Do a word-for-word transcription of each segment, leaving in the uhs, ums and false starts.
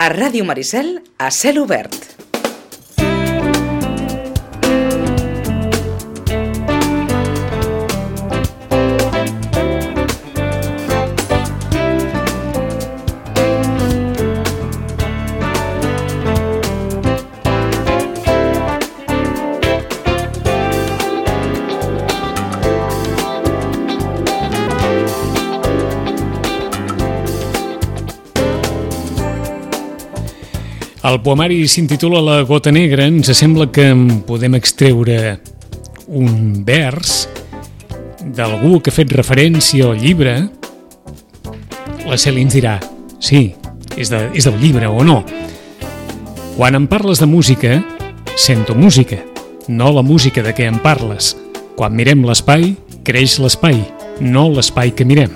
A Ràdio Maricel, a cel obert. El poemari s'intitula La gota negra. Ens sembla que en podem extreure un vers d'algú que ha fet referència al llibre. La Cèlia ens dirà, sí, és, de, és del llibre o no. Quan em parles de música, sento música, no la música de què em parles. Quan mirem l'espai, creix l'espai, no l'espai que mirem.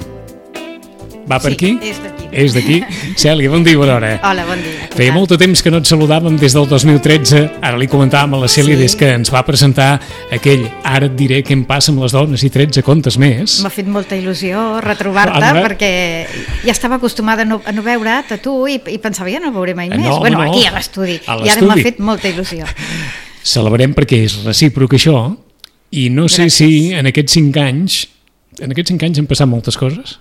Va per aquí? Sí, és d'aquí. És d'aquí. Cèlia, bon dia, bona hora. Hola, bon dia. Feia molt de temps que no et saludàvem des del dos mil tretze, ara li comentàvem a la Cèlia sí. Des que ens va presentar aquell Ara et diré què em passa amb les dones i tretze contes més. M'ha fet molta il·lusió retrobar-te Ara... perquè ja estava acostumada a no, a no veure't a tu i, i pensava ja no el veuré mai més. No, bueno, no. aquí a l'estudi. A I ara m'ha fet molta il·lusió. Celebrem perquè és recíproc això i no sé Gràcies. si en aquests cinc anys en aquests cinc anys han passat moltes coses.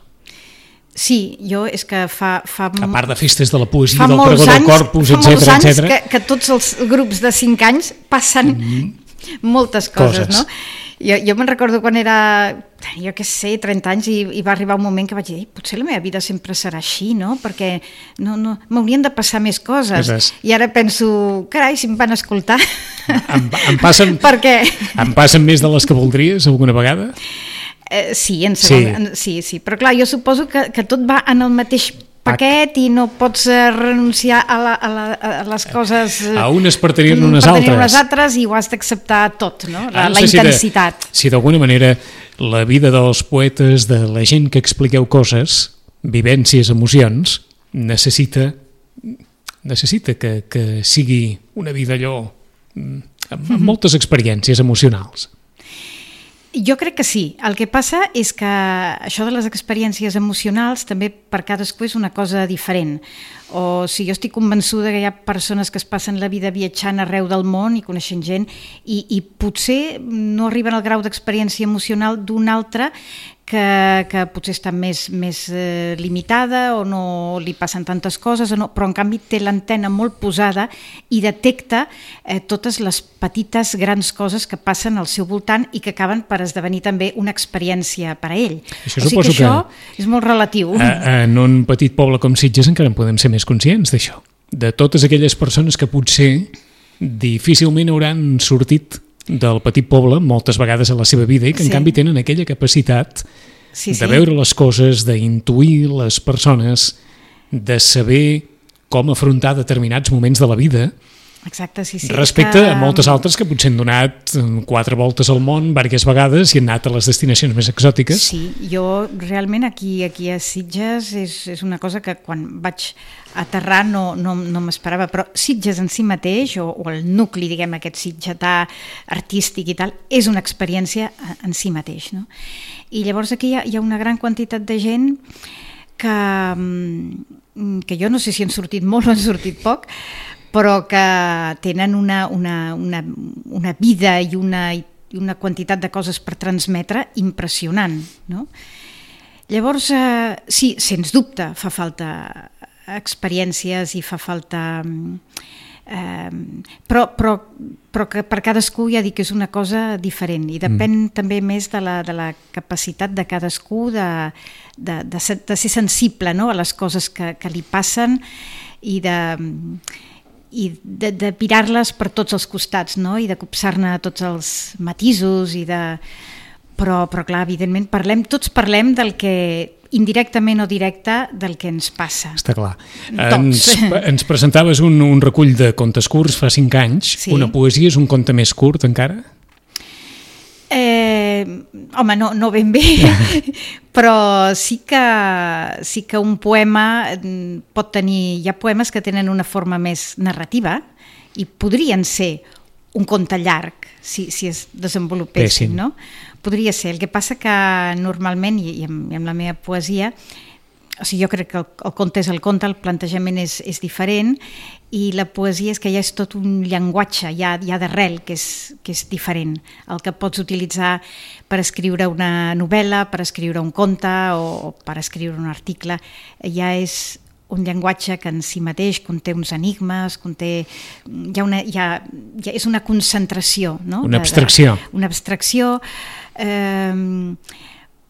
Sí, jo és que fa... fa A part de festes de la poesia, fa del molts pregó del anys, corpus, fa molts etcètera, anys etcètera. que, que tots els grups de cinc anys passen mm-hmm. moltes coses, coses. no? Jo, jo me'n recordo quan era, jo què sé, trenta anys i, i va arribar un moment que vaig dir, potser la meva vida sempre serà així, no? Perquè no, no, m'haurien de passar més coses. Coses. I ara penso, carai, si em van escoltar. Em, em, passen, Per què? em passen més de les que voldries alguna vegada? Eh, sí, en segon, Sí. en, sí, sí, però clar, jo suposo que, que tot va en el mateix paquet i no pots eh, renunciar a, la, a, la, a les coses... eh, A unes per tenir-ne unes per altres. tenir unes altres i ho has d'acceptar tot, no? La, Ara no la sé si de- intensitat. Si d'alguna manera la vida dels poetes, de la gent que expliqueu coses, vivències, emocions, necessita necessita que, que sigui una vida allò amb, amb moltes experiències emocionals. Jo crec que sí. El que passa és que això de les experiències emocionals també per cadascú és una cosa diferent. O si jo estic convençuda que hi ha persones que es passen la vida viatjant arreu del món i coneixent gent i, i potser no arriben al grau d'experiència emocional d'un altre que, que potser està més, més eh, limitada o no li passen tantes coses, o no, però en canvi té l'antena molt posada i detecta eh, totes les petites grans coses que passen al seu voltant i que acaben per esdevenir també una experiència per a ell. Això o sigui suposo que això que- és molt relatiu. A, en un petit poble com Sitges encara en podem ser més conscients d'això, de totes aquelles persones que potser difícilment hauran sortit del petit poble moltes vegades a la seva vida i que en Sí. canvi tenen aquella capacitat Sí, de sí. veure les coses, d'intuir les persones, de saber com afrontar determinats moments de la vida Exacte, sí, sí. respecte que... a moltes altres que potser han donat quatre voltes al món diverses vegades i han anat a les destinacions més exòtiques. Sí, jo realment aquí, aquí a Sitges és, és una cosa que quan vaig aterrar no, no, no m'esperava, però Sitges en si mateix, o, o el nucli, diguem, aquest sitgetà artístic i tal, és una experiència en si mateix, no? I llavors aquí hi ha, hi ha una gran quantitat de gent que, que jo no sé si han sortit molt o han sortit poc, però que tenen una, una, una, una vida i una, i una quantitat de coses per transmetre impressionant, no? Llavors, eh, sí, sens dubte fa falta experiències i fa falta... Eh, però, però, però que per cadascú ja dic que és una cosa diferent i depèn mm. també més de la, de la capacitat de cadascú de, de, de, ser, de ser sensible, no?, a les coses que, que li passen i de... i de, de mirar-les per tots els costats, no? I de copsar-ne tots els matisos i de... Però, però clar, evidentment, parlem, tots parlem del que, indirectament o directe, del que ens passa. Està clar. Tots. Ens, ens presentaves un, un recull de contes curts fa cinc anys. Sí. Una poesia és un conte més curt encara? Eh, home, no, no ben bé, però sí que, sí que un poema pot tenir... Hi ha poemes que tenen una forma més narrativa i podrien ser un conte llarg, si, si es desenvolupessin, Pessin. no? Podria ser. El que passa que normalment, i amb, i amb la meva poesia, o sigui, jo crec que el, el conte és el conte, el plantejament és, és diferent, i la poesia és que ja és tot un llenguatge, ja, ja d'arrel, que és, que és diferent. El que pots utilitzar per escriure una novel·la, per escriure un conte o, o per escriure un article, ja és un llenguatge que en si mateix conté uns enigmes, conté... Hi ha una, hi ha, hi ha, és una concentració, no? Una abstracció. De, de, una abstracció... Eh,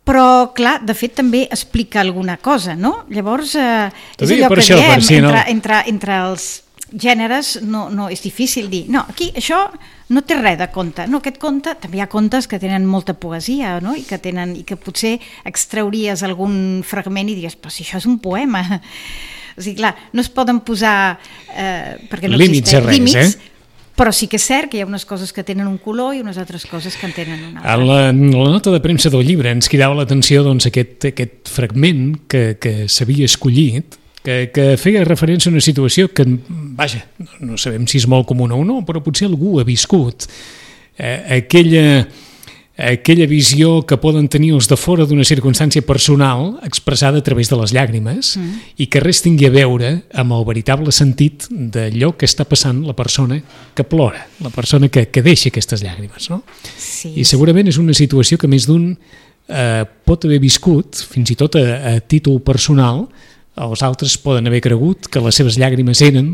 però, clar, de fet també explica alguna cosa, no? Llavors, eh, és allò que això, diem, si no... entre, entre, entre els gèneres no, no és difícil dir, no, aquí això no té res de conte, no, aquest conte, també hi ha contes que tenen molta poesia, no? I que tenen, i que potser extrauries algun fragment i diries, però si això és un poema. O sigui, clar, no es poden posar, eh, perquè no límits existeixen res, límits, eh? Però sí que és cert que hi ha unes coses que tenen un color i unes altres coses que en tenen un altre. A la, la nota de premsa del llibre ens cridava l'atenció doncs, aquest, aquest fragment que, que s'havia escollit, que, que feia referència a una situació que, vaja, no sabem si és molt comuna o no, però potser algú ha viscut eh, aquella, aquella visió que poden tenir els de fora d'una circumstància personal expressada a través de les llàgrimes mm. i que res tingui a veure amb el veritable sentit d'allò que està passant la persona que plora, la persona que, que deixa aquestes llàgrimes, no? Sí, I segurament és una situació que més d'un eh, pot haver viscut, fins i tot a, a títol personal. Els altres poden haver cregut que les seves llàgrimes eren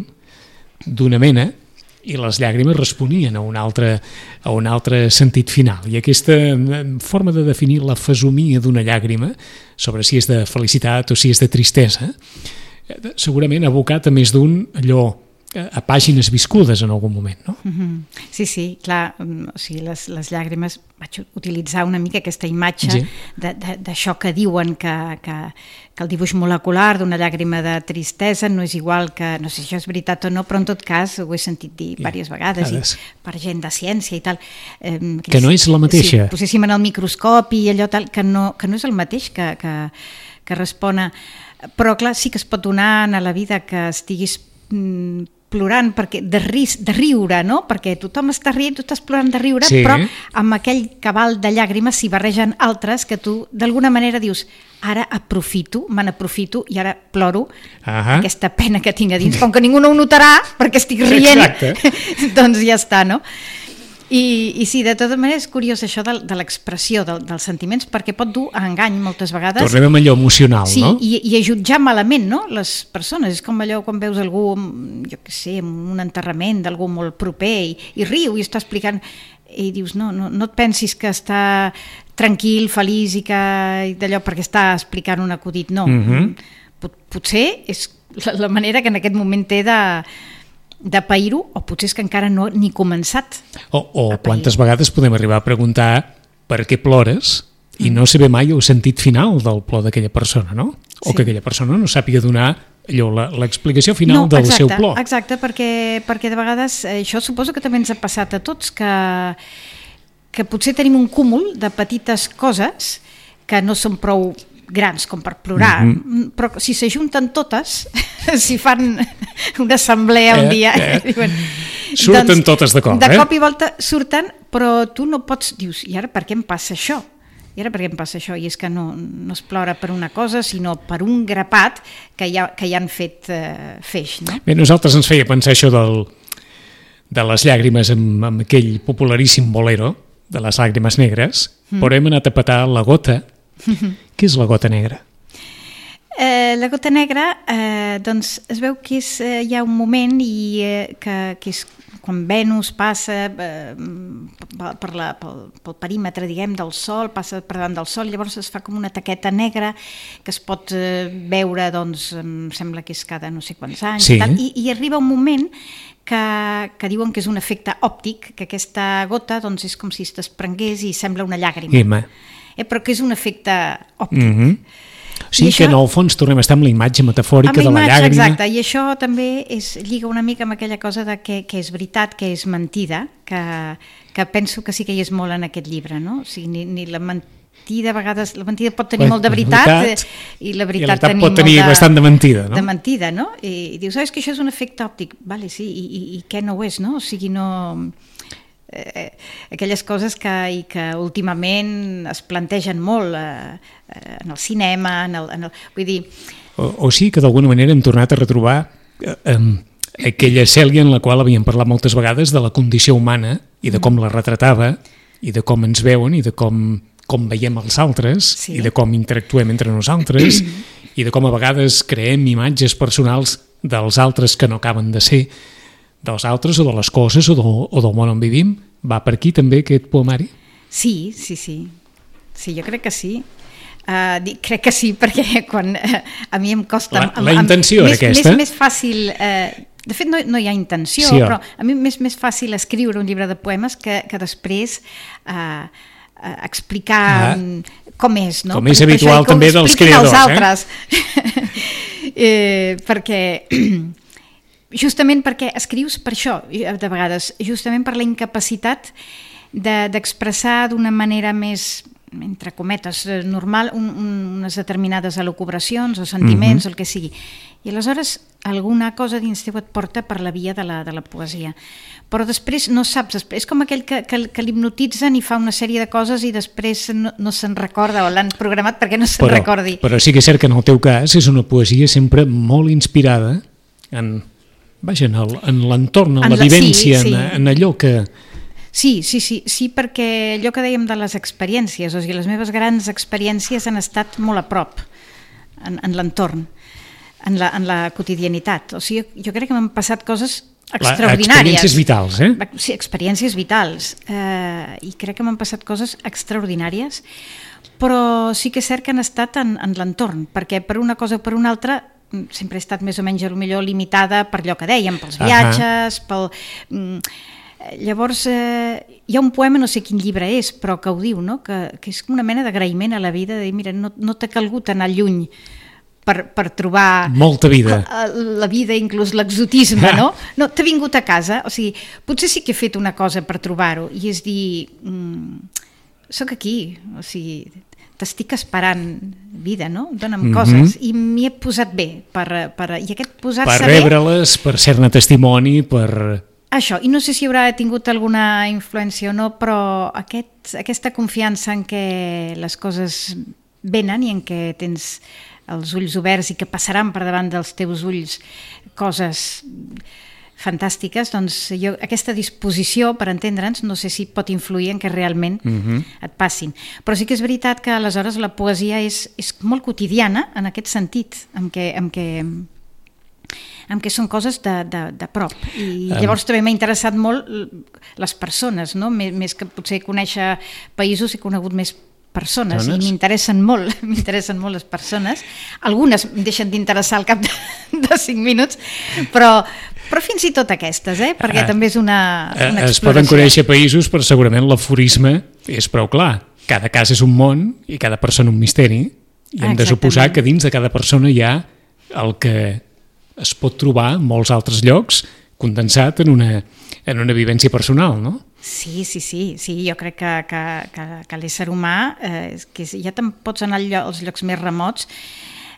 d'una mena i les llàgrimes responien a un altre, a un altre sentit final. I aquesta forma de definir la fesomia d'una llàgrima, sobre si és de felicitat o si és de tristesa, segurament ha abocat a més d'un allò a pàgines viscudes en algun moment, no? Mm-hmm. Sí, sí, clar, o sigui, les, les llàgrimes, vaig utilitzar una mica aquesta imatge sí. d'això que diuen que, que, que el dibuix molecular d'una llàgrima de tristesa no és igual que, no sé si això és veritat o no, però en tot cas ho he sentit dir sí. diverses vegades, i per gent de ciència i tal. Eh, que, que no és la mateixa. Si poséssim en el microscopi i allò tal, que no, que no és el mateix que, que, que respon a... Però clar, sí que es pot donar a la vida que estiguis mm, plorant perquè de, ris, de riure, no? Perquè tothom està rient, tu estàs plorant de riure, sí. però amb aquell cabal de llàgrimes s'hi barregen altres que tu d'alguna manera dius, ara aprofito, me n'aprofito i ara ploro uh-huh. aquesta pena que tinc a dins, com que ningú no ho notarà perquè estic rient, doncs ja està, no? I, i sí, de tota manera és curiós això de, de l'expressió de, dels sentiments, perquè pot dur a engany moltes vegades. Tornem amb allò emocional, sí, no? I, i a jutjar malament, no?, les persones. És com allò quan veus algú, jo què sé, en un enterrament d'algú molt proper i, i riu i està explicant i dius, no, no, no et pensis que està tranquil, feliç i que d'allò perquè està explicant un acudit, no. Mm-hmm. Pot, potser és la, la manera que en aquest moment té de de pair-ho, o potser és que encara no ni començat. O, o quantes vegades podem arribar a preguntar per què plores mm. i no saber mai el sentit final del plor d'aquella persona, no? O sí. que aquella persona no sàpiga donar allò, l'explicació final no, del exacte, seu plor. Exacte, perquè, perquè de vegades això suposo que també ens ha passat a tots, que, que potser tenim un cúmul de petites coses que no són prou grans com per plorar, mm-hmm. però si s'ajunten totes, si fan una assemblea un eh, dia, eh. diuen, surten doncs, totes de cop, de eh? cop i volta surten, però tu no pots, dius, i ara per què em passa això? I ara per què em passa això? I és que no, no es plora per una cosa, sinó per un grapat que ja, que ja han fet eh, feix, no? Bé, nosaltres ens feia pensar això del, de les llàgrimes amb, amb aquell popularíssim bolero de les làgrimes negres, mm. però hem anat a petar la gota. Què és la gota negra? Eh, la gota negra, eh, doncs es veu que és, eh, hi ha un moment i, eh, que, que és quan Venus passa eh, per la, pel, pel perímetre, diguem, del Sol, passa per davant del Sol, llavors es fa com una taqueta negra que es pot eh, veure, doncs, em sembla que és cada no sé quants anys, sí. i, tal, i, i arriba un moment que, que diuen que és un efecte òptic, que aquesta gota doncs, és com si es desprengués i sembla una llàgrima. Ima. Eh, però que és un efecte òptic. Mm-hmm. O sigui això, que en el fons tornem a estar amb la imatge metafòrica amb la imatge, de la llàgrima. Exacte, i això també és, lliga una mica amb aquella cosa de que, que és veritat, que és mentida, que, que penso que sí que hi és molt en aquest llibre, no? O sigui, ni, ni la mentida, a vegades, la mentida pot tenir Bé, molt de veritat, veritat i la veritat, i la pot tenir de, bastant de mentida, no? De mentida, no? I, i dius, oh, és que això és un efecte òptic. Vale, sí, i, i, i què no ho és, no? O sigui, no... eh, aquelles coses que, i que últimament es plantegen molt eh, en el cinema, en el, en el, vull dir... O, o sí que d'alguna manera hem tornat a retrobar eh, eh, aquella Cèlia en la qual havíem parlat moltes vegades de la condició humana i de com la retratava i de com ens veuen i de com, com veiem els altres sí. i de com interactuem entre nosaltres i de com a vegades creem imatges personals dels altres que no acaben de ser dels altres o de les coses o, de, o del món on vivim. Va per aquí també aquest poemari? Sí, sí, sí. Sí, jo crec que sí. Uh, dic, crec que sí, perquè quan uh, a mi em costa... La, la intenció era aquesta? Més, més fàcil... Uh, de fet, no, no hi ha intenció, sí, però a mi m'és més fàcil escriure un llibre de poemes que, que després uh, uh, explicar ah. com és, no? Com és per, habitual per també dels creadors, altres. eh? eh perquè... justament perquè escrius per això, de vegades, justament per la incapacitat de, d'expressar d'una manera més, entre cometes, normal, un, un, unes determinades elucubracions o sentiments, mm-hmm. o el que sigui. I aleshores alguna cosa dins teu et porta per la via de la, de la poesia. Però després no saps, és com aquell que, que, que l'hipnotitzen i fa una sèrie de coses i després no, no se'n recorda o l'han programat perquè no se'n però, recordi. Però sí que és cert que en el teu cas és una poesia sempre molt inspirada en, vaja, en l'entorn, en, en la vivència, sí, sí. En, en allò que... Sí, sí, sí, sí, perquè allò que dèiem de les experiències, o sigui, les meves grans experiències han estat molt a prop en, en l'entorn, en la, en la quotidianitat. O sigui, jo crec que m'han passat coses extraordinàries. La, experiències vitals, eh? Sí, experiències vitals. Eh, I crec que m'han passat coses extraordinàries, però sí que és cert que han estat en, en l'entorn, perquè per una cosa o per una altra sempre he estat més o menys millor limitada per allò que dèiem, pels viatges, uh-huh. pel... Llavors, eh, hi ha un poema, no sé quin llibre és, però que ho diu, no? que, que és una mena d'agraïment a la vida, de dir, mira, no, no t'ha calgut anar lluny per, per trobar... Molta vida. La vida, inclús l'exotisme, no? No, t'ha vingut a casa, o sigui, potser sí que he fet una cosa per trobar-ho, i és dir, mm, soc aquí, o sigui... t'estic esperant vida, no? Dóna'm mm-hmm. coses. I m'hi he posat bé. Per, per, i aquest posar-se per rebre-les, per ser-ne testimoni, per... Això, i no sé si haurà tingut alguna influència o no, però aquest, aquesta confiança en què les coses venen i en què tens els ulls oberts i que passaran per davant dels teus ulls coses fantàstiques, doncs jo, aquesta disposició, per entendre'ns, no sé si pot influir en què realment mm-hmm. et passin. Però sí que és veritat que aleshores la poesia és, és molt quotidiana en aquest sentit, en què, en què, en què són coses de, de, de prop. I llavors també m'ha interessat molt les persones, no? Més, més que potser conèixer països, he conegut més persones, Dones? I m'interessen molt, m'interessen molt les persones. Algunes em deixen d'interessar al cap de, de cinc minuts, però, però fins i tot aquestes, eh? Perquè ah, també és una, una exploració. Es poden conèixer països, però segurament l'aforisme és prou clar. Cada cas és un món i cada persona un misteri, i hem ah, de suposar que dins de cada persona hi ha el que es pot trobar en molts altres llocs condensat en una, en una vivència personal, no? Sí, sí, sí, sí, jo crec que, que, que, que l'ésser humà, eh, que ja te'n pots anar als llocs més remots,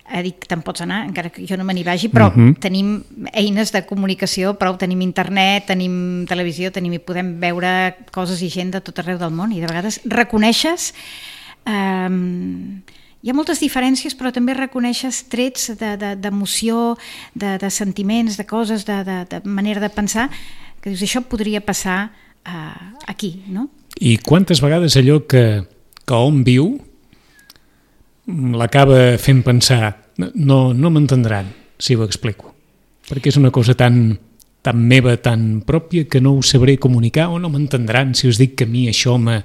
eh, dic te'n pots anar, encara que jo no me n'hi vagi, però uh-huh. tenim eines de comunicació, prou, tenim internet, tenim televisió, tenim, i podem veure coses i gent de tot arreu del món, i de vegades reconeixes... Eh, hi ha moltes diferències, però també reconeixes trets de, de, d'emoció, de, de sentiments, de coses, de, de, de manera de pensar, que dius, això podria passar uh, aquí, no? I quantes vegades allò que, que hom viu l'acaba fent pensar, no, no m'entendran si ho explico, perquè és una cosa tan, tan meva, tan pròpia, que no ho sabré comunicar, o no m'entendran si us dic que a mi això m'ha,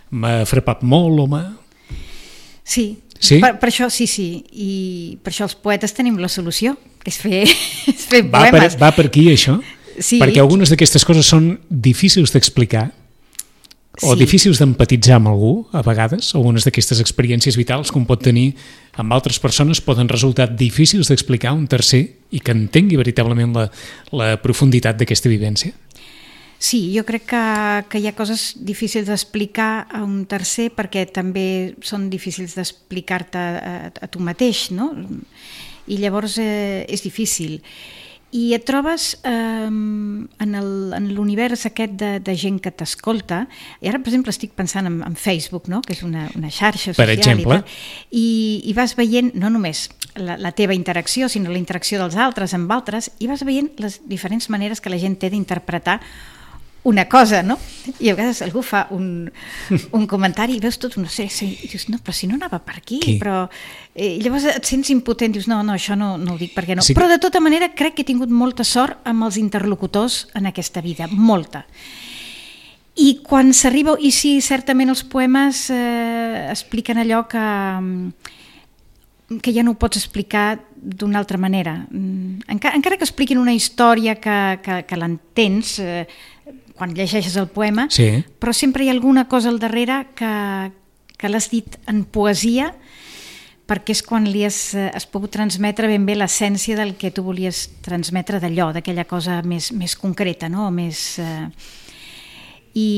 m'ha frapat molt o m'ha... Sí, sí? Per, per això sí, sí, i per això els poetes tenim la solució, que és fer, és fer va poemes. Per, va per aquí això? Sí. Perquè algunes d'aquestes coses són difícils d'explicar o sí. difícils d'empatitzar amb algú, a vegades. Algunes d'aquestes experiències vitals que un pot tenir amb altres persones poden resultar difícils d'explicar a un tercer i que entengui veritablement la, la profunditat d'aquesta vivència. Sí, jo crec que, que hi ha coses difícils d'explicar a un tercer perquè també són difícils d'explicar-te a, a tu mateix, no? I llavors eh, és difícil. i et trobes eh, en l'univers aquest de, de gent que t'escolta, i ara, per exemple, estic pensant en, en Facebook, no? Que és una, una xarxa social, per exemple, i, i, i vas veient no només la, la teva interacció, sinó la interacció dels altres amb altres, i vas veient les diferents maneres que la gent té d'interpretar una cosa, no? I a vegades algú fa un, un comentari i veus tot una sèrie i dius, no, però si no anava per aquí, Qui? però... Eh, llavors et sents impotent, dius, no, no, això no, no ho dic perquè no. Sí que... Però de tota manera crec que he tingut molta sort amb els interlocutors en aquesta vida, molta. I quan s'arriba, i sí, certament els poemes eh, expliquen allò que, que ja no ho pots explicar d'una altra manera. Encara, encara que expliquin una història que, que, que l'entens, eh, quan llegeixes el poema, sí. Però sempre hi ha alguna cosa al darrere que, que l'has dit en poesia, perquè és quan li has, has pogut transmetre ben bé l'essència del que tu volies transmetre d'allò, d'aquella cosa més, més concreta, no? Més, eh... I,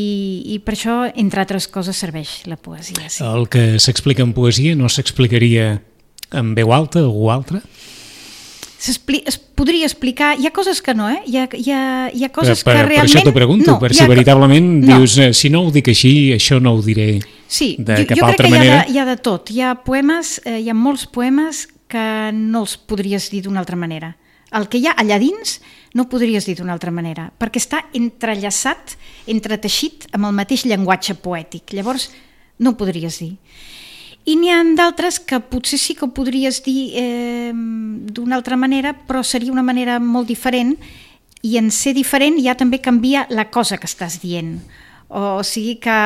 i per això, entre altres coses, serveix la poesia. Sí. El que s'explica en poesia no s'explicaria en veu alta o algú altre? Es podria explicar, hi ha coses que no, eh? Hi ha, hi ha, hi ha coses per, per, que realment... Per això t'ho pregunto, no, per si ha... veritablement no. Dius, si no ho dic així, això no ho diré sí, de jo, cap jo altra crec que manera. Hi ha, de, hi ha de tot, hi ha poemes, eh, hi ha molts poemes que no els podries dir d'una altra manera. El que hi ha allà dins no podries dir d'una altra manera, perquè està entrellaçat, entreteixit amb el mateix llenguatge poètic, llavors no ho podries dir. I n'hi ha d'altres que potser sí que ho podries dir eh, d'una altra manera, però seria una manera molt diferent, i en ser diferent ja també canvia la cosa que estàs dient. O sigui que,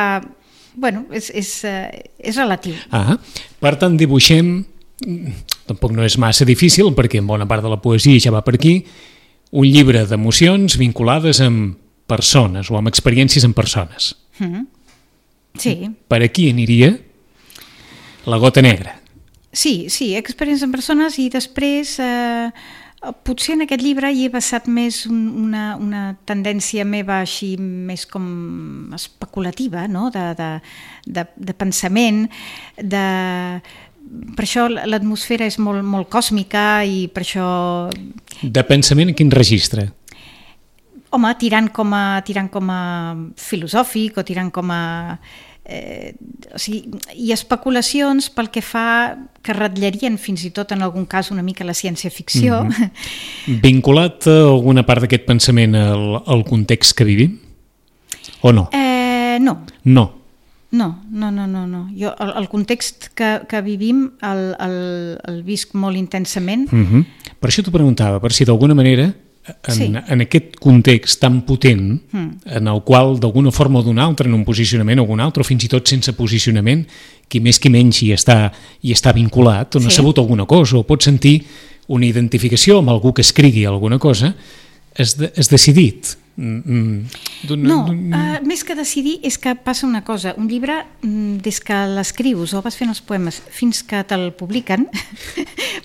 bueno, és, és, és relatiu. Ah, per tant, dibuixem, tampoc no és massa difícil, perquè en bona part de la poesia ja va per aquí, un llibre d'emocions vinculades amb persones o amb experiències amb persones. Mm-hmm. Sí. Per aquí aniria La gota negra. Sí, sí, experiències en persones, i després eh, potser en aquest llibre hi he basat més un, una, una tendència meva així més com especulativa, no? de, de, de, de pensament, de... per això l'atmosfera és molt, molt còsmica i per això... De pensament en quin registre? Home, tirant com a, tirant com a filosòfic o tirant com a... Eh, o sigui, i especulacions pel que fa que ratllarien fins i tot en algun cas una mica la ciència-ficció. Mm-hmm. Vinculat a alguna part d'aquest pensament al, al context que vivim? O no? Eh, no. No. No, no, no, no, no. Jo el, el context que, que vivim el, el, el visc molt intensament. Mm-hmm. Per això t'ho preguntava, per si d'alguna manera en, sí. en aquest context tan potent mm. en el qual d'alguna forma o d'una altra, en un posicionament o un altre, o fins i tot sense posicionament, qui més qui menys hi està, hi està vinculat, o no sí. ha sabut alguna cosa, o pot sentir una identificació amb algú que escrigui alguna cosa, has, de, has decidit. No, uh, més que decidir és que passa una cosa, un llibre des que l'escrius o vas fent els poemes fins que te'l publiquen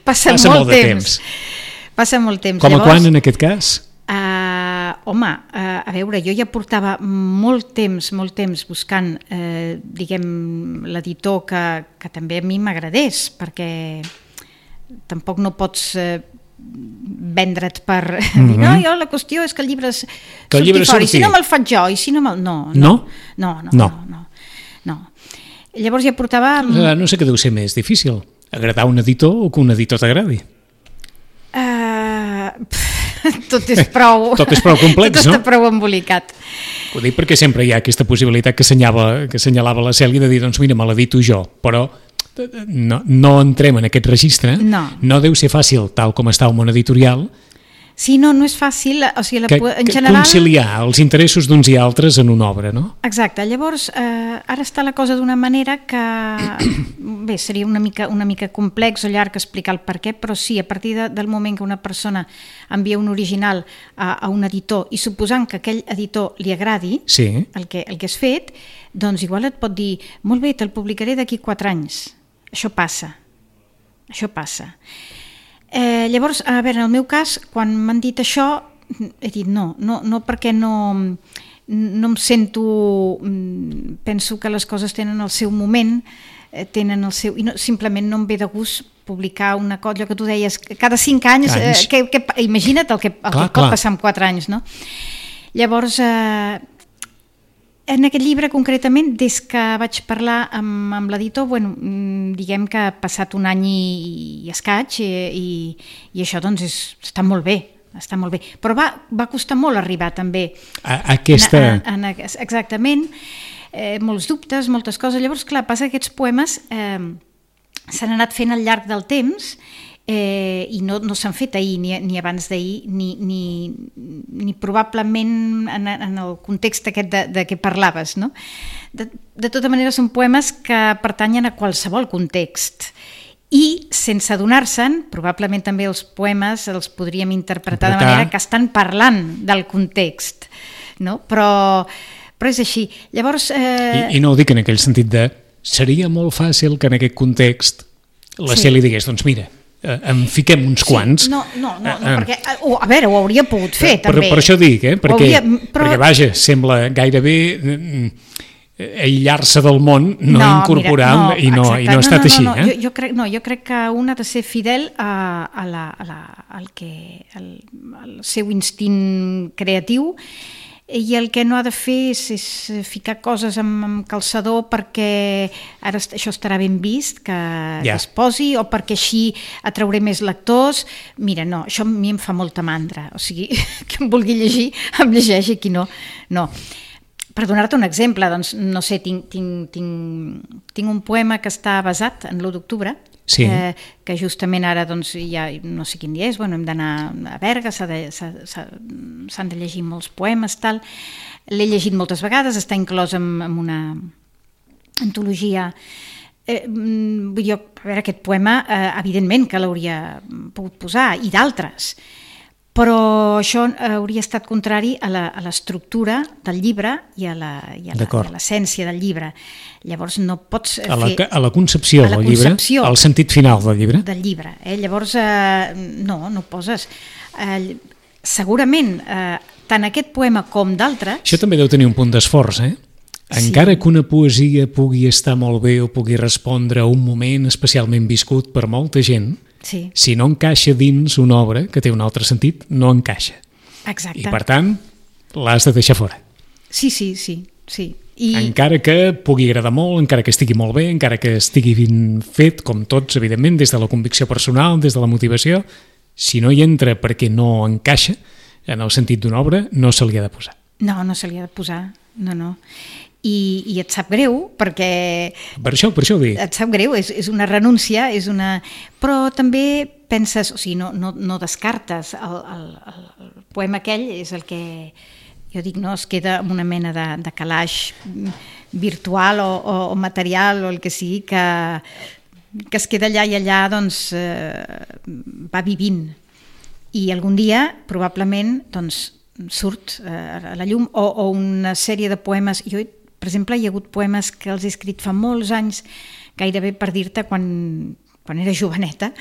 passa, passa molt, molt temps. temps passa molt temps. Com a Llavors, quan en aquest cas? Uh, home, uh, a veure, jo ja portava molt temps molt temps buscant uh, diguem, l'editor que, que també a mi m'agradés, perquè tampoc no pots uh, vendre't per mm-hmm. dir, no, jo la qüestió és que el llibre surti llibre fora, surti. i si no me'l faig jo, i si no me'l... No, no? No, no, no. no. no, no, no. Llavors ja portava... No sé què deu ser més difícil, agradar un editor o que un editor t'agradi. Uh, pff, tot és prou... tot és prou complex, tot no? Tot està prou embolicat. Ho dic perquè sempre hi ha aquesta possibilitat que assenyalava, que assenyalava la Cèlia de dir, doncs mira, me l'edito jo, però no, no entrem en aquest registre, no. no deu ser fàcil, tal com està el món editorial, sí, no, no és fàcil, o sigui, la, que, en general... conciliar els interessos d'uns i altres en una obra, no? Exacte, llavors eh, ara està la cosa d'una manera que bé, seria una mica, una mica complex o llarg explicar el per què, però sí, a partir de, del moment que una persona envia un original a, a un editor i suposant que aquell editor li agradi sí. el, que, el que has fet, doncs igual et pot dir, molt bé, te'l publicaré d'aquí quatre anys. Això passa, això passa. Eh, llavors, a veure, en el meu cas, quan m'han dit això, he dit no, no, no perquè no, no em sento, penso que les coses tenen el seu moment, eh, tenen el seu... I no, simplement no em ve de gust publicar una cosa, allò que tu deies, cada cinc anys, eh, que, que, imagina't el que, el clar, que pot clar. passar en quatre anys, no? Llavors, eh, en aquest llibre concretament, des que vaig parlar amb, amb l'editor, bueno, diguem que ha passat un any i, i escaig i, i, i això doncs és, està molt bé, està molt bé. Però va, va costar molt arribar també a, a aquesta... En, en, exactament, eh, molts dubtes, moltes coses. Llavors, clar, passa que aquests poemes eh, s'han anat fent al llarg del temps Eh, i no, no s'han fet ahir ni, ni abans d'ahir ni, ni, ni probablement en, en el context aquest de, de què parlaves, no? De, de tota manera són poemes que pertanyen a qualsevol context i sense adonar-se'n, probablement també els poemes els podríem interpretar de manera que estan parlant del context, no? Però, però és així. Llavors, eh... I, I no ho dic en aquell sentit de seria molt fàcil que en aquest context la sí. Cel li digués, doncs mira, en fiquem uns quants. Sí, no, no, no, no perquè, oh, a veure, ho hauria pogut fer, per, també. Per, per això dic, eh? Perquè, hauria, però... perquè vaja, sembla gairebé aïllar-se del món, no, no incorporar, mira, no, i, no, i no ha estat no, no, així. No, no. Eh? Jo, jo, crec, no, jo crec que un ha de ser fidel a, a la, a la, al, que, al, al seu instint creatiu, i el que no ha de fer és, és ficar coses amb, amb calçador perquè ara això estarà ben vist que, yeah. que es posi, o perquè així atrauré més lectors. Mira, no, això a mi em fa molta mandra, o sigui, que em vulgui llegir, em llegeixi, qui no, no. Per donar-te un exemple, doncs, no sé, tinc, tinc, tinc, tinc un poema que està basat en l'u d'octubre, sí. eh, que justament ara, doncs, ja no sé quin dia és, bueno, hem d'anar a Berga, s'han de, s'han de llegir molts poemes, tal. L'he llegit moltes vegades, està inclòs en, en una antologia. Eh, vull dir, a veure, aquest poema, eh, evidentment que l'hauria pogut posar, i d'altres, però això hauria estat contrari a l'estructura del llibre i a l'essència del llibre. Llavors no pots fer... A la, a la concepció a la del concepció llibre, al sentit final del llibre. Del llibre, eh? Llavors eh, no, no poses. Eh, segurament, eh, tant aquest poema com d'altres... Això també deu tenir un punt d'esforç, eh? Encara sí. Que una poesia pugui estar molt bé o pugui respondre a un moment especialment viscut per molta gent, sí. Si no encaixa dins una obra que té un altre sentit, no encaixa. Exacte. I per tant, l'has de deixar fora. Sí, sí, sí. sí. I... Encara que pugui agradar molt, encara que estigui molt bé, encara que estigui ben fet, com tots, evidentment, des de la convicció personal, des de la motivació, si no hi entra perquè no encaixa en el sentit d'una obra, no se li ha de posar. No, no se li ha de posar, no, no. I, i et sap greu perquè... Per això, per això ho dic. Et sap greu, és, és una renúncia, és una... però també penses, o sigui, no, no, no descartes, el, el, el poema aquell és el que, jo dic, no, es queda amb una mena de, de calaix virtual o, o, o material o el que sigui, que, que es queda allà i allà, doncs, eh, va vivint. I algun dia, probablement, doncs, surt eh, a la llum, o, o una sèrie de poemes... Jo, per exemple, hi ha hagut poemes que els he escrit fa molts anys, gairebé per dir-te quan, quan era joveneta,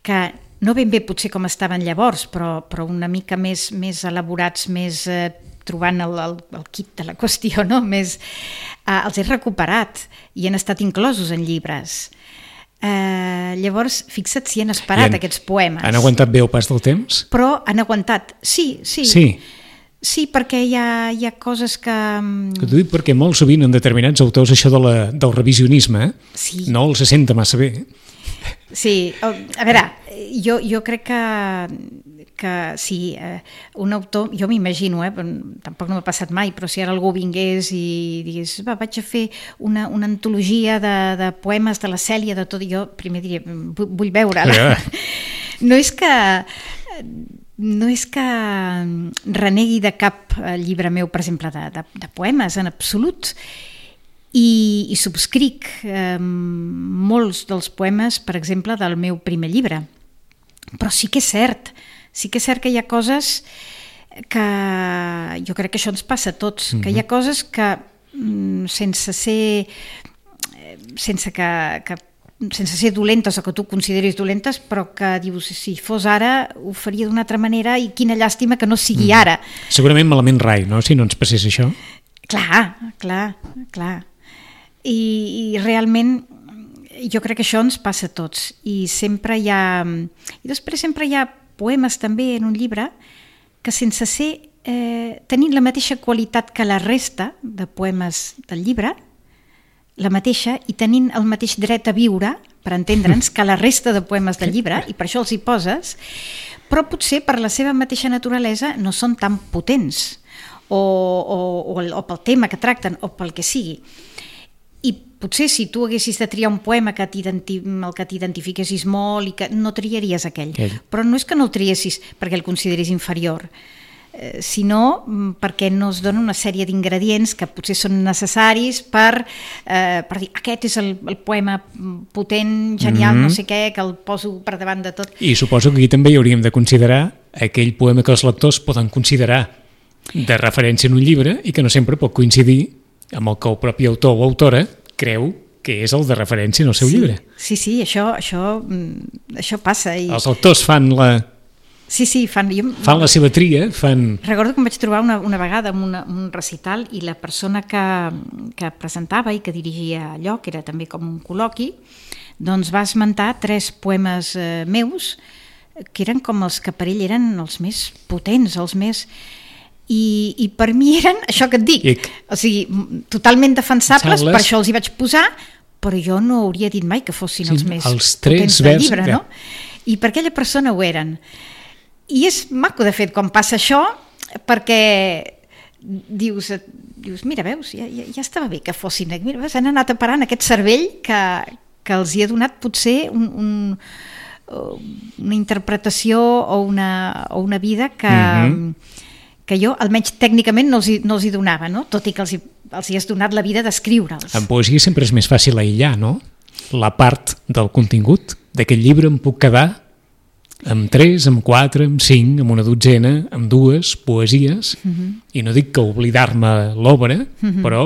que no ben bé potser com estaven llavors, però, però una mica més, més elaborats, més eh, trobant el, el, el kit de la qüestió, no? Més, eh, els he recuperat i han estat inclosos en llibres. Eh, llavors, fixa't si han esperat han, aquests poemes. Han aguantat bé el pas del temps? Però han aguantat, sí, sí. Sí. Sí, perquè hi ha, hi ha coses que... Que t'ho dic perquè molt sovint en determinats autors això de la, del revisionisme eh? Sí. No els senta massa bé. Sí, a veure, jo, jo crec que, que sí, eh, un autor, jo m'imagino, eh, tampoc no m'ha passat mai, però si ara algú vingués i digués, va, vaig a fer una, una antologia de, de poemes de la Cèlia, de tot, i jo primer diria, vull veure-la. Yeah. No és que... No és que renegui de cap llibre meu, per exemple, de, de, de poemes, en absolut, i, i subscric eh, molts dels poemes, per exemple, del meu primer llibre. Però sí que és cert, sí que és cert que hi ha coses que jo crec que això ens passa a tots, mm-hmm. que hi ha coses que sense ser, sense que, que sense ser dolentes o que tu consideris dolentes, però que dius, si fos ara ho faria d'una altra manera i quina llàstima que no sigui mm. ara. Segurament malament rai, no?, si no ens passés això. Clar, clar, clar. I, i realment jo crec que això ens passa a tots, i sempre hi ha... I després sempre hi ha poemes també en un llibre que sense ser... Eh, tenint la mateixa qualitat que la resta de poemes del llibre, la mateixa, i tenint el mateix dret a viure, per entendre'ns, que la resta de poemes del llibre, i per això els hi poses, però potser per la seva mateixa naturalesa no són tan potents, o, o, o, o pel tema que tracten, o pel que sigui. I potser si tu haguessis de triar un poema que el que t'identifiquessis molt i que no triaries aquell. aquell. Però no és que no el triessis perquè el consideris inferior, eh, sinó perquè no es dona una sèrie d'ingredients que potser són necessaris per, eh, per dir aquest és el, el poema potent, genial, mm-hmm. no sé què, que el poso per davant de tot. I suposo que aquí també hi hauríem de considerar aquell poema que els lectors poden considerar de referència en un llibre i que no sempre pot coincidir amb el que el propi autor o autora creu que és el de referència en el seu sí, llibre. Sí, sí, això, això, això passa. I... Els autors fan la... Sí, sí, fan... Jo... fan la seva tria, fan... Recordo que em vaig trobar una, una vegada en una, un recital i la persona que, que presentava i que dirigia allò, que era també com un col·loqui, doncs va esmentar tres poemes eh, meus que eren com els que per ell eren els més potents, els més... I, i per mi eren, això que et dic, Ic. o sigui, totalment defensables, Sables. per això els hi vaig posar, però jo no hauria dit mai que fossin Sí, els més els tres potents del vers, llibre, ja. no? I per aquella persona ho eren. I és maco, de fet, quan passa això, perquè dius, dius mira, veus, ja, ja, ja estava bé que fossin, mira, veus, han anat a parar en aquest cervell que, que els hi ha donat potser un, un, una interpretació o una, o una vida que... Mm-hmm. que jo, almenys tècnicament, no els hi, no els hi donava, no? Tot i que els hi, els hi has donat la vida d'escriure'ls. En poesia sempre és més fàcil aïllar, no? La part del contingut d'aquest llibre em puc quedar amb tres, amb quatre, amb cinc, amb una dotzena, amb dues poesies, uh-huh. i no dic que oblidar-me l'obra, uh-huh. però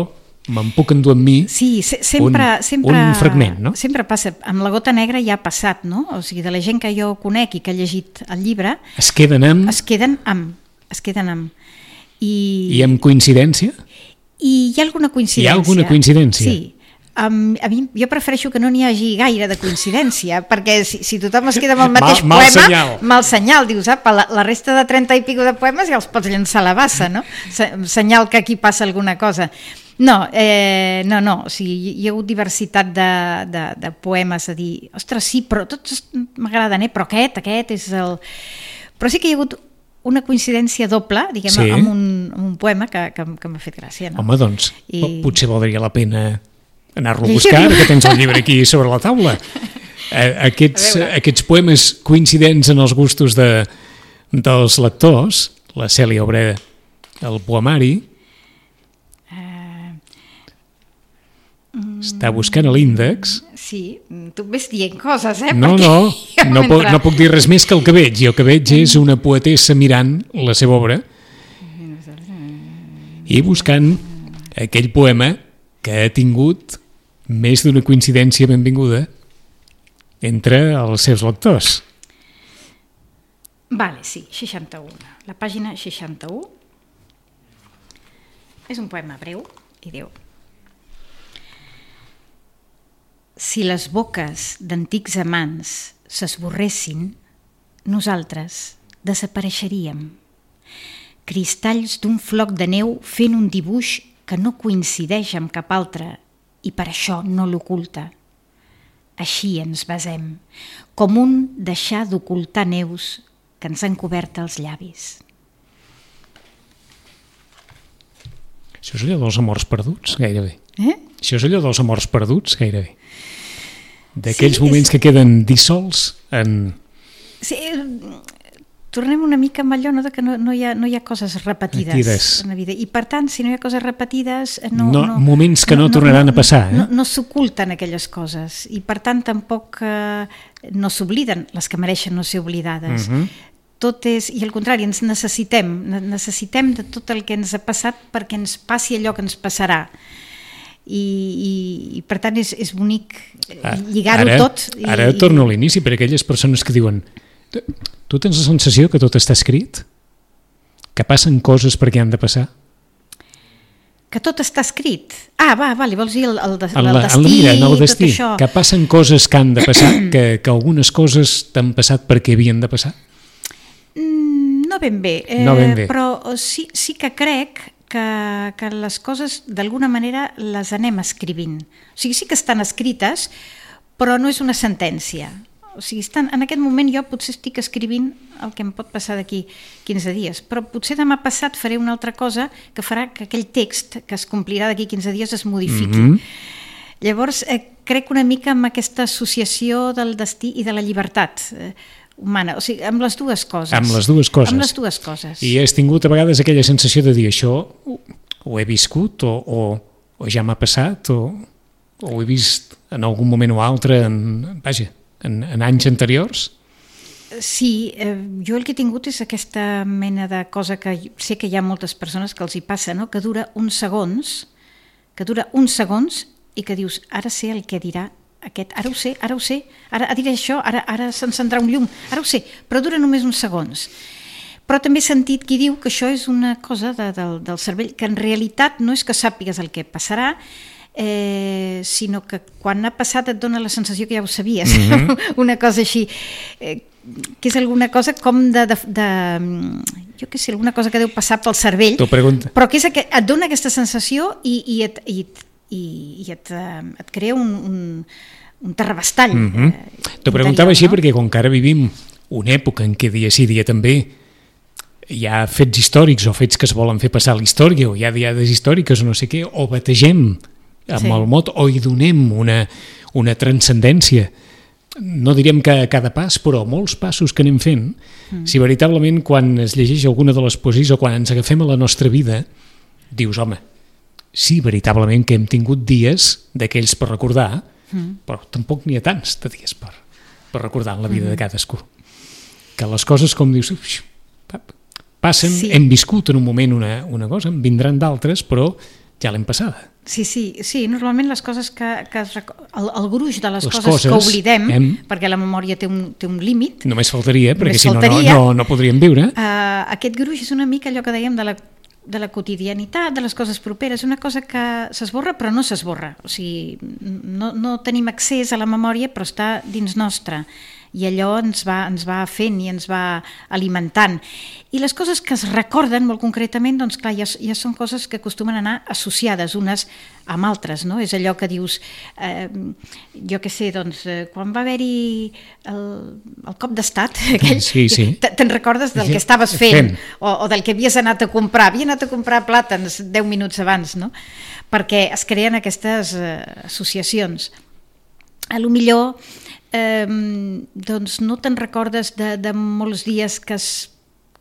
me'n puc endur amb mi sí, se, sempre, un, sempre, un fragment, no? Sempre passa. Amb La gota negra ja ha passat, no? O sigui, de la gent que jo conec i que ha llegit el llibre... Es queden amb... Es queden amb... es queden amb... I, I amb coincidència? I hi ha alguna coincidència. Hi ha alguna coincidència? Sí. Um, a mi, jo prefereixo que no n'hi hagi gaire de coincidència, perquè si, si tothom es queda amb el mateix mal, mal poema, senyal. mal senyal, dius, apa, la, la resta de trenta i pico de poemes ja els pots llançar a la bassa, no? Se, senyal que aquí passa alguna cosa. No, eh, no, no, o sigui, hi ha hagut diversitat de, de, de poemes a dir, ostres, sí, però tots m'agraden, eh? Però aquest, aquest és el... Però sí que hi ha hagut una coincidència doble, diguem, sí. amb, un, amb un poema que, que, que m'ha fet gràcia. No? Home, doncs, I... potser valdria la pena anar-lo a I... buscar, que tens el llibre aquí sobre la taula. Aquests, aquests poemes coincidents en els gustos de, dels lectors, la Cèlia obre el poemari, uh... està buscant l'índex. Sí, tu ves dient coses, eh? No, no, no puc, no puc dir res més que el que veig. I el que veig és una poetessa mirant la seva obra i buscant aquell poema que ha tingut més d'una coincidència benvinguda entre els seus lectors. Vale, sí, seixanta-u. La pàgina seixanta-u és un poema breu i diu: si les boques d'antics amants s'esborressin, nosaltres desapareixeríem. Cristalls d'un floc de neu fent un dibuix que no coincideix amb cap altre i per això no l'oculta. Així ens basem, com un deixar d'ocultar neus que ens han cobert els llavis. Això és allò dels amors perduts, gairebé. Eh? Això és allò dels amors perduts, gairebé. D'aquells sí, moments és... que queden dissolts en... Sí, tornem una mica amb allò, no, de que no, no, hi ha, no hi ha coses repetides, repetides en la vida. I per tant, si no hi ha coses repetides... No, no, no, moments que no, no tornaran no, a passar. Eh? No, no s'oculten aquelles coses. I per tant, tampoc eh, no s'obliden les que mereixen no ser oblidades. Uh-huh. Tot és... I al contrari, ens necessitem. Necessitem de tot el que ens ha passat perquè ens passi allò que ens passarà. I, i, i per tant és, és bonic lligar-ho ara, tot i, ara torno a l'inici per aquelles persones que diuen tu tens la sensació que tot està escrit? Que passen coses perquè han de passar? que tot està escrit. Ah, va, vale, vols dir el, el, de, En el la, destí, en la vida, en el tot destí, això. que passen coses que han de passar, que, que algunes coses t'han passat perquè havien de passar? Mm, no ben bé, eh, No ben bé. però sí, sí que crec que, que les coses d'alguna manera les anem escrivint. O sigui, sí que estan escrites, però no és una sentència. O sigui, estan, en aquest moment jo potser estic escrivint el que em pot passar d'aquí quinze dies, però potser demà passat faré una altra cosa que farà que aquell text que es complirà d'aquí quinze dies es modifiqui. Mm-hmm. Llavors, eh, crec una mica en aquesta associació del destí i de la llibertat eh, humana, o sigui, amb les dues coses. Amb les dues coses. Amb les dues coses. I has tingut a vegades aquella sensació de dir això ho he viscut o, o, o ja m'ha passat o, o ho he vist en algun moment o altre en, vaja, en, en anys anteriors? Sí, eh, jo el que he tingut és aquesta mena de cosa que sé que hi ha moltes persones que els hi passa, no? Que dura uns segons, que dura uns segons i que dius, ara sé el que dirà aquest, ara ho sé, ara ho sé, ara diré això, ara, ara s'encendrà un llum, ara ho sé, però dura només uns segons. Però també he sentit qui diu que això és una cosa de, de, del cervell, que en realitat no és que sàpigues el que passarà, eh, sinó que quan ha passat et dona la sensació que ja ho sabies, mm-hmm. una cosa així, eh, que és alguna cosa com de, de, de jo què sé, alguna cosa que deu passar pel cervell, però que és que et dona aquesta sensació i, i, et, i, i, i et, et crea un, un, un terrabastall. Mm-hmm. eh, T'ho preguntava així, no? Perquè com que ara vivim una època en què dia sí dia també hi ha fets històrics o fets que es volen fer passar a la història o hi ha diades històriques o no sé què, o bategem amb sí. el mot o hi donem una, una transcendència, no diríem que a cada pas, però molts passos que anem fent, mm. si veritablement quan es llegeix alguna de les poesies o quan ens agafem a la nostra vida, dius, home, sí, veritablement que hem tingut dies d'aquells per recordar, mm. però tampoc n'hi ha tants de dies per, per recordar en la vida mm. de cadascú. Que les coses, com dius, passen, sí. hem viscut en un moment una, una cosa, en vindran d'altres, però ja l'hem passada. Sí, sí, sí, normalment les coses que, que es, el, el gruix de les, les coses, coses que oblidem, hem, perquè la memòria té un, té un límit. Només faltaria, perquè només si faltaria, no, no, no podríem viure. Uh, aquest gruix és una mica allò que dèiem de la, de la quotidianitat, de les coses properes, una cosa que s'esborra però no s'esborra. O sigui, no, no tenim accés a la memòria però està dins nostra. I allò ens va, ens va fent i ens va alimentant. I les coses que es recorden molt concretament, doncs clar, ja, ja són coses que acostumen a anar associades unes amb altres, no? És allò que dius, eh, jo què sé, doncs, eh, quan va haver-hi el, el cop d'estat, aquell, sí, sí. te'n recordes del sí, que estaves fent, fent. O, o del que havies anat a comprar, havia anat a comprar plàtans deu minuts abans, no? Perquè es creen aquestes eh, associacions. A lo millor Eh, doncs no te'n recordes de, de molts dies que has,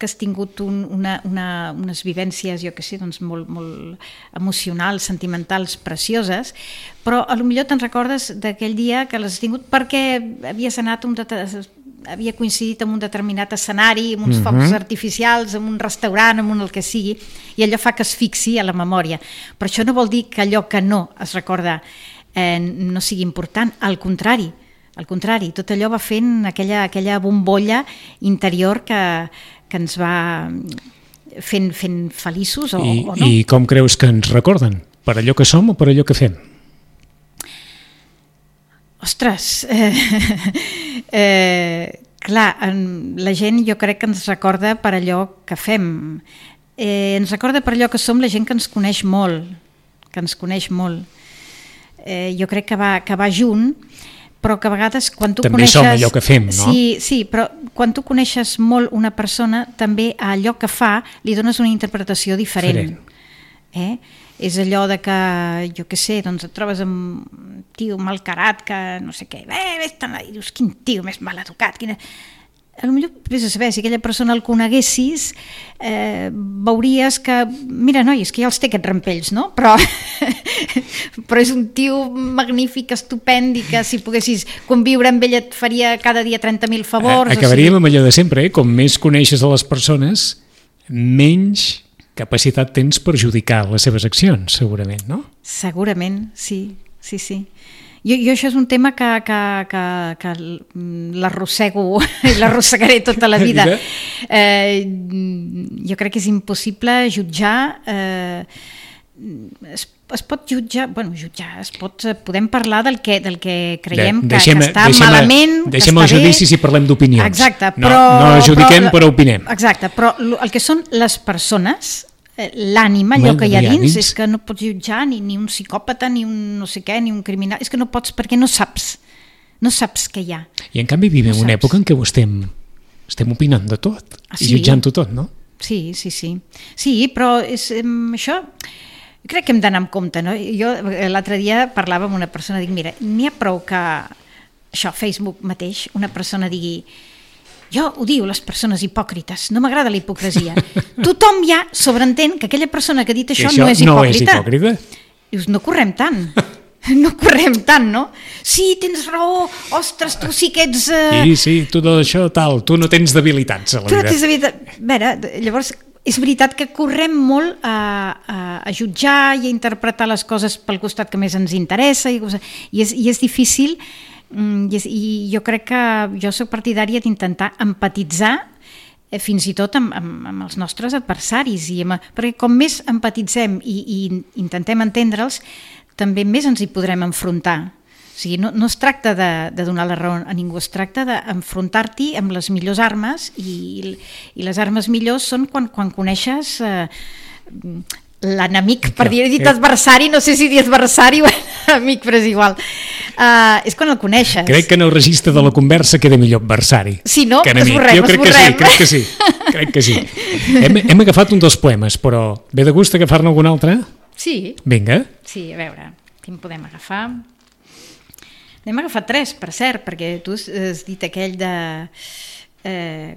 que has tingut un, una, una, unes vivències, jo què sé, doncs molt, molt emocionals, sentimentals, precioses, però a lo millor te'n recordes d'aquell dia que les has tingut perquè havies anat un det- havia coincidit amb un determinat escenari, amb uns mm-hmm. focs artificials, amb un restaurant, amb un el que sigui, i allò fa que es fixi a la memòria. Però això no vol dir que allò que no es recorda eh, no sigui important, al contrari. Al contrari, tot allò va fent aquella, aquella bombolla interior que, que ens va fent, fent feliços o, I, o no. I com creus que ens recorden? Per allò que som o per allò que fem? Ostres, eh, eh, clar, la gent jo crec que ens recorda per allò que fem. Eh, ens recorda per allò que som la gent que ens coneix molt, que ens coneix molt. Eh, jo crec que va, que va junt, però que a vegades quan tu també coneixes... som allò que fem, no? Sí, sí, però quan tu coneixes molt una persona, també a allò que fa li dones una interpretació diferent. Eh? És allò de que, jo què sé, doncs et trobes amb un tio malcarat que no sé què, eh, vés-te'n i dius, quin tio més mal educat, quina... A lo millor vés a saber, si aquella persona el coneguessis, eh, veuries que, mira, noi, és que ja els té aquests rampells, no? Però, però és un tio magnífic, estupend, i que si poguessis conviure amb ell et faria cada dia trenta mil favors. Acabaríem o sigui... amb allò de sempre, eh? Com més coneixes a les persones, menys capacitat tens per judicar les seves accions, segurament, no? Segurament, sí, sí, sí. Jo, jo això és un tema que, que, que, que l'arrossego i l'arrossegaré tota la vida. Eh, jo crec que és impossible jutjar eh, es, es pot jutjar, bueno, jutjar, es pot, podem parlar del que, del que creiem De, que, deixem, que està deixem, malament, que deixem està el judici bé. si parlem d'opinions. Exacte, no, però... no judiquem, però, però opinem. Exacte, però el que són les persones, l'ànima, allò que hi ha dins, dins, és que no pots jutjar ni, ni un psicòpata, ni un no sé què, ni un criminal, és que no pots perquè no saps, no saps què hi ha. I en canvi vivim no una època en què ho estem, estem opinant de tot, ah, sí? I jutjant-ho tot, no? Sí, sí, sí. Sí, però és, um, això crec que hem d'anar amb compte, no? Jo l'altre dia parlava amb una persona, dic, mira, n'hi ha prou que això, Facebook mateix, una persona digui jo odio les persones hipòcrites, no m'agrada la hipocresia. Tothom ja sobreentén que aquella persona que ha dit això, això no és hipòcrita. No és hipòcrita. Dius, no correm tant. No correm tant, no? Sí, tens raó, ostres, tu sí que ets... Uh... Sí, sí, tu tot això tal, tu no tens debilitats a la tu vida. No tens debilitats. A veure, llavors, és veritat que correm molt a, a, a jutjar i a interpretar les coses pel costat que més ens interessa i, i, és, i és difícil i, és, i jo crec que jo soc partidària d'intentar empatitzar fins i tot amb, amb, amb els nostres adversaris, i amb, perquè com més empatitzem i, i intentem entendre'ls, també més ens hi podrem enfrontar. O sigui, no, no es tracta de, de donar la raó a ningú, es tracta d'enfrontar-t'hi amb les millors armes, i, i les armes millors són quan, quan coneixes eh, l'enemic, per dir, he dit adversari, no sé si dir adversari o amic, però és igual. Uh, és quan el coneixes. Crec que en el registre de la conversa queda millor adversari. Sí, no? Que enemic. Esborrem, jo crec esborrem. que sí, crec que sí. Crec que sí. Hem, hem agafat un dels poemes, però ve de gust agafar-ne algun altre? Sí. Vinga. Sí, a veure, quin podem agafar? N'hem agafat tres, per cert, perquè tu has dit aquell de... Eh,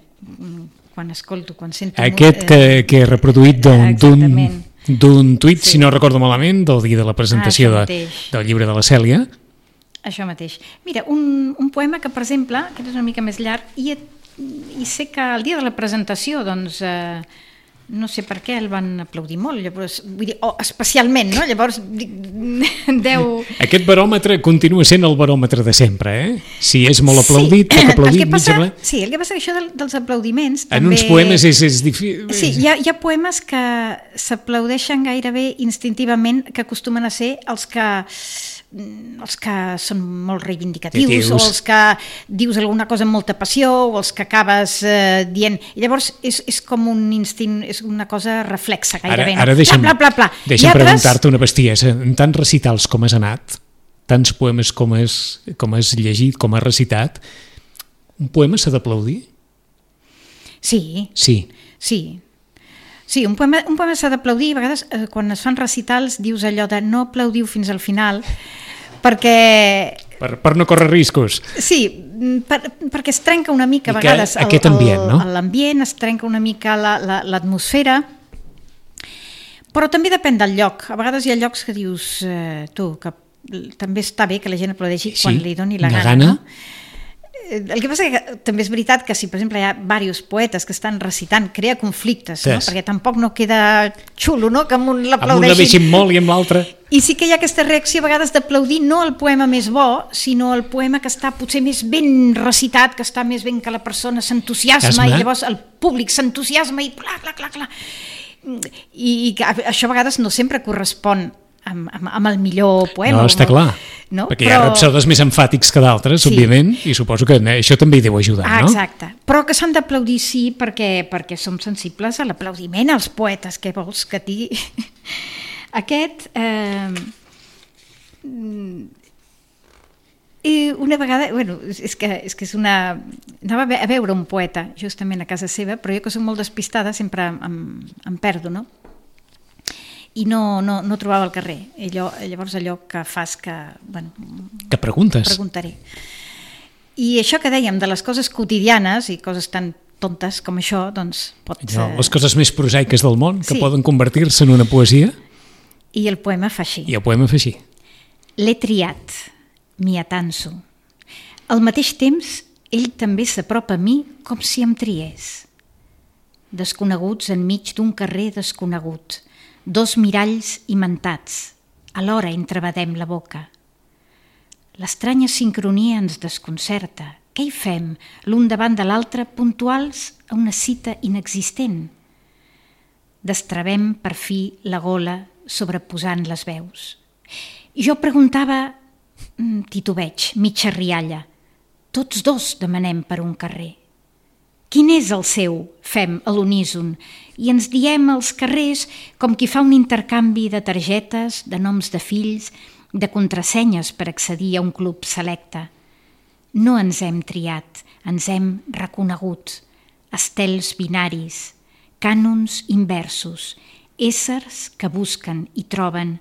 quan escolto, quan sento... Aquest que, que he reproduït d'un d'un tuit, sí. Si no recordo malament, del dia de la presentació ah, de, del llibre de la Cèlia. Això mateix. Mira, un, un poema que, per exemple, aquest és una mica més llarg, i, i sé que el dia de la presentació, doncs... Eh, no sé per què el van aplaudir molt, llavors, vull dir, oh, especialment, no? Llavors, deu... Aquest baròmetre continua sent el baròmetre de sempre, eh? Si és molt aplaudit, sí. Poc aplaudit, passa, mig aplaudit... Sí, el que passa que això del, dels aplaudiments... En també... uns poemes és, és difícil... Sí, hi ha, hi ha poemes que s'aplaudeixen gairebé instintivament, que acostumen a ser els que... els que són molt reivindicatius, o els que dius alguna cosa amb molta passió, o els que acabes eh, dient... I llavors és, és com un instint, és una cosa reflexa gairebé. Ara, ara deixa'm, pla, pla, pla, pla. deixa'm altres... preguntar-te una bestiesa. En tants recitals com has anat, tants poemes com has, com has llegit, com has recitat, un poema s'ha d'aplaudir? Sí. Sí. Sí. Sí, un poema, un poema s'ha d'aplaudir, a vegades eh, quan es fan recitals dius allò de no aplaudiu fins al final, perquè... Per, per no córrer riscos. Sí, per, perquè es trenca una mica a vegades el, aquest ambient, no? l'ambient, es trenca una mica la, la, l'atmosfera, però també depèn del lloc. A vegades hi ha llocs que dius, eh, tu, que també està bé que la gent aplaudeixi sí, quan li doni la gana, gana. No? El que passa que també és veritat que si, per exemple, hi ha diversos poetes que estan recitant, crea conflictes, no? Perquè tampoc no queda xulo, no? Que amb un l'aplaudeixin. Amb un la deixin molt i amb l'altre... I sí que hi ha aquesta reacció a vegades d'aplaudir no el poema més bo, sinó el poema que està potser més ben recitat, que està més ben que la persona s'entusiasma, i llavors el públic s'entusiasma i clar, clar, clar, clar. I, i això a vegades no sempre correspon Amb, amb, amb el millor poema. No, està clar, no? perquè Però... hi ha rapsodes més emfàtics que d'altres, sí. Òbviament, i suposo que això també hi deu ajudar, ah, no? Exacte, però que s'han d'aplaudir sí, perquè, perquè som sensibles a l'aplaudiment, als poetes, què vols que digui? Aquest... Eh... I una vegada, bueno, és que, és que és una... Anava a veure un poeta, justament a casa seva, però jo que soc molt despistada sempre em, em perdo, no? I no, no, no trobava el carrer. I allò, llavors allò que fas que... Bueno, que preguntes. Preguntaré. I això que dèiem de les coses quotidianes i coses tan tontes com això, doncs pot... No, les coses més prosaiques del món, que sí. Poden convertir-se en una poesia. I el poema fa així. I el poema fa així. L'he triat, m'hi atanso. Al mateix temps, ell també s'apropa a mi com si em triés. Desconeguts enmig d'un carrer desconegut, dos miralls imantats, alhora entrebadem la boca. L'estranya sincronia ens desconcerta. Què hi fem, l'un davant de l'altre, puntuals a una cita inexistent? Destrabem, per fi, la gola sobreposant les veus. Jo preguntava, titubeig, mitja rialla, tots dos demanem per un carrer. Quin és el seu? Fem a l'uníson i ens diem als carrers com qui fa un intercanvi de targetes, de noms de fills, de contrasenyes per accedir a un club selecte. No ens hem triat, ens hem reconegut. Estels binaris, cànons inversos, éssers que busquen i troben,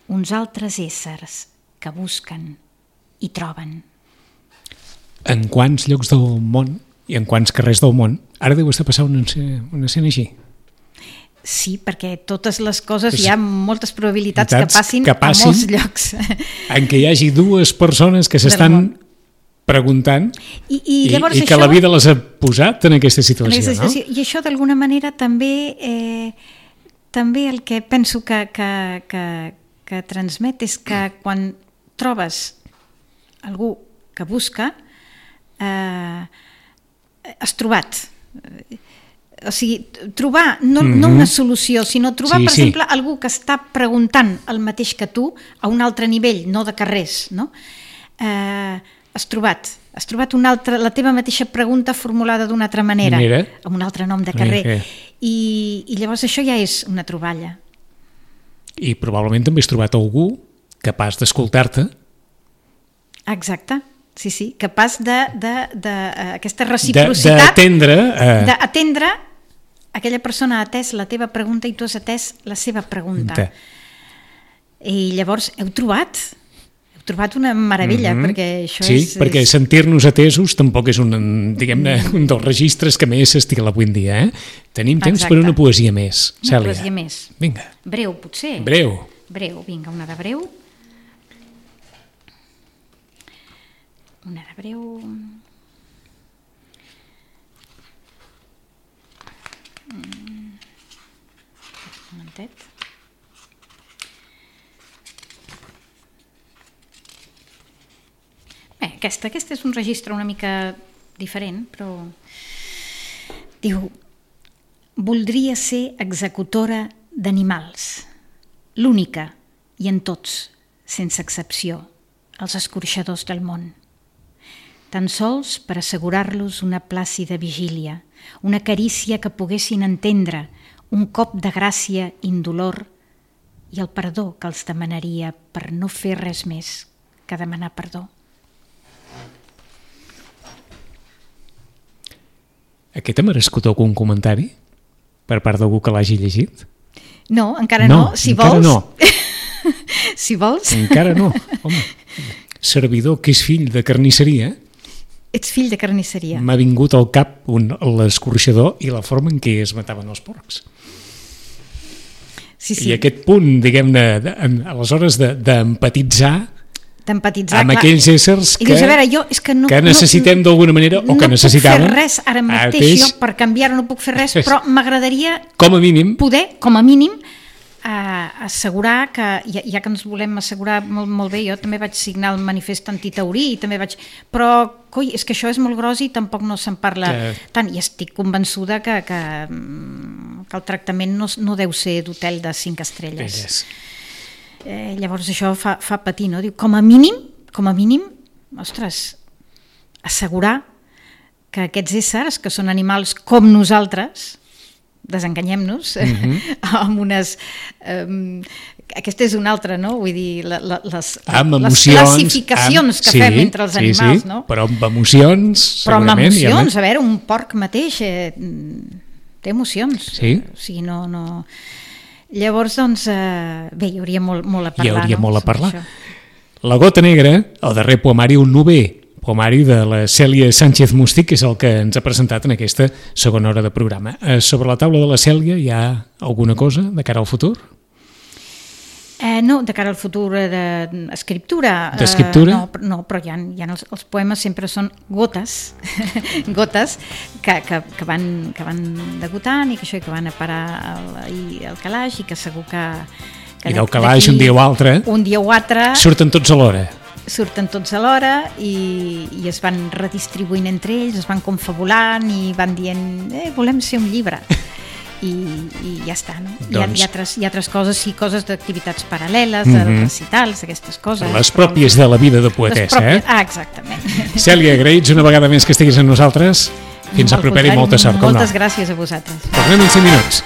uns altres éssers que busquen i troben. En quants llocs del món i en quants carrers del món ara deu estar passant una escena, una escena així? Sí, perquè totes les coses hi ha moltes probabilitats que passin, que passin a molts llocs. En què hi hagi dues persones que s'estan preguntant I, i, i, llavors i que això, la vida les ha posat en aquesta situació, en aquesta situació no? I això d'alguna manera també eh, també el que penso que, que, que, que transmet és que quan trobes algú que busca eh, has trobat, o sigui, trobar no, mm-hmm. no una solució, sinó trobar, sí, per sí. exemple, algú que està preguntant el mateix que tu a un altre nivell, no de carrers, no? Eh, has trobat, has trobat una altra, la teva mateixa pregunta formulada d'una altra manera, Mira. amb un altre nom de carrer. Mira. I, I llavors això ja és una troballa. I probablement també has trobat algú capaç d'escoltar-te. Exacte. Sí, sí, capaç d'aquesta reciprocitat, d'atendre uh... d'atendre aquella persona ha atès la teva pregunta i tu has atès la seva pregunta. De. I llavors heu trobat, heu trobat una meravella, mm-hmm. perquè això sí, és... Sí, perquè és... sentir-nos atesos tampoc és un, diguem-ne, un dels registres que més s'estila avui en dia. Eh? Tenim temps Exacte. Per una poesia més, Cèlia. Una poesia més. Vinga. Breu, potser. Breu. Breu, vinga, una de breu. Una de breu... Un momentet. Bé, aquesta, aquesta és un registre una mica diferent, però... Diu, voldria ser executora d'animals, l'única, i en tots, sense excepció, els escorxadors del món. Tan sols per assegurar-los una plàcida vigília, una carícia que poguessin entendre, un cop de gràcia indolor i el perdó que els demanaria per no fer res més que demanar perdó. Aquest ha merescut algun comentari per part d'algú que l'hagi llegit? No, encara no. no. Si encara vols... no. Si vols... Encara no. Home, servidor que és fill de carnisseria... Ets fill de carnisseria. M'ha vingut al cap l'escorxador i la forma en què es mataven els porcs. Sí, sí. I aquest punt, diguem-ne, aleshores d'empatitzar d'empatitzar amb aquells éssers que, dius, veure, jo, és que, no, que necessitem no, d'alguna manera o no que necessitàvem. No puc fer res ara mateix, mateix jo per canviar-ho no puc fer res, però m'agradaria com a mínim poder, com a mínim, Uh, assegurar que, ja, ja que ens volem assegurar molt, molt bé, jo també vaig signar el manifest antitaurí i també vaig, però coi, és que això és molt gros i tampoc no se'n parla que... tant, i estic convençuda que, que, que el tractament no, no deu ser d'hotel de cinc estrelles. Eh, llavors això fa, fa patir, no? Diu, com a mínim, com a mínim, ostres, assegurar que aquests éssers, que són animals com nosaltres, desenganyem-nos, mm-hmm. amb unes... Um, aquesta és una altra, no? Vull dir, la, la, les, les classificacions amb, que sí, fem entre els animals, sí, sí, no? Però amb emocions, però segurament. Però amb emocions, a veure, un porc mateix eh, té emocions. Sí. O sigui, no... no... Llavors, doncs, eh, bé, hi hauria molt, molt a parlar. Hi hauria no? molt a parlar. La gota negra, el darrer poemari, un novè poemari de la Cèlia Sánchez Mustí, que és el que ens ha presentat en aquesta segona hora de programa. Eh, sobre la taula de la Cèlia hi ha alguna cosa de cara al futur? Eh, no, de cara al futur d'escriptura. De, D'escriptura? Eh, no, no, però hi ha, hi ha els, els poemes sempre són gotes, gotes que, que, que, van, que van degotant i que, això, que van a parar al, al calaix i que segur que... que I del calaix un dia o altre... Un dia o altre... Surten tots a l'hora. surten tots alhora i, i es van redistribuint entre ells, es van confabulant i van dient, eh, volem ser un llibre. i, i ja està, no? Doncs... Hi, ha, hi, ha altres, hi ha altres coses, sí, coses d'activitats paral·leles, mm -hmm. recitals, aquestes coses. Les pròpies de la vida de poetessa, pròpies... eh? Ah, exactament. Cèlia, agraïts una vegada més que estiguis amb nosaltres. Fins a proper i molta sort. Moltes gràcies a vosaltres. Tornem en cinc minuts.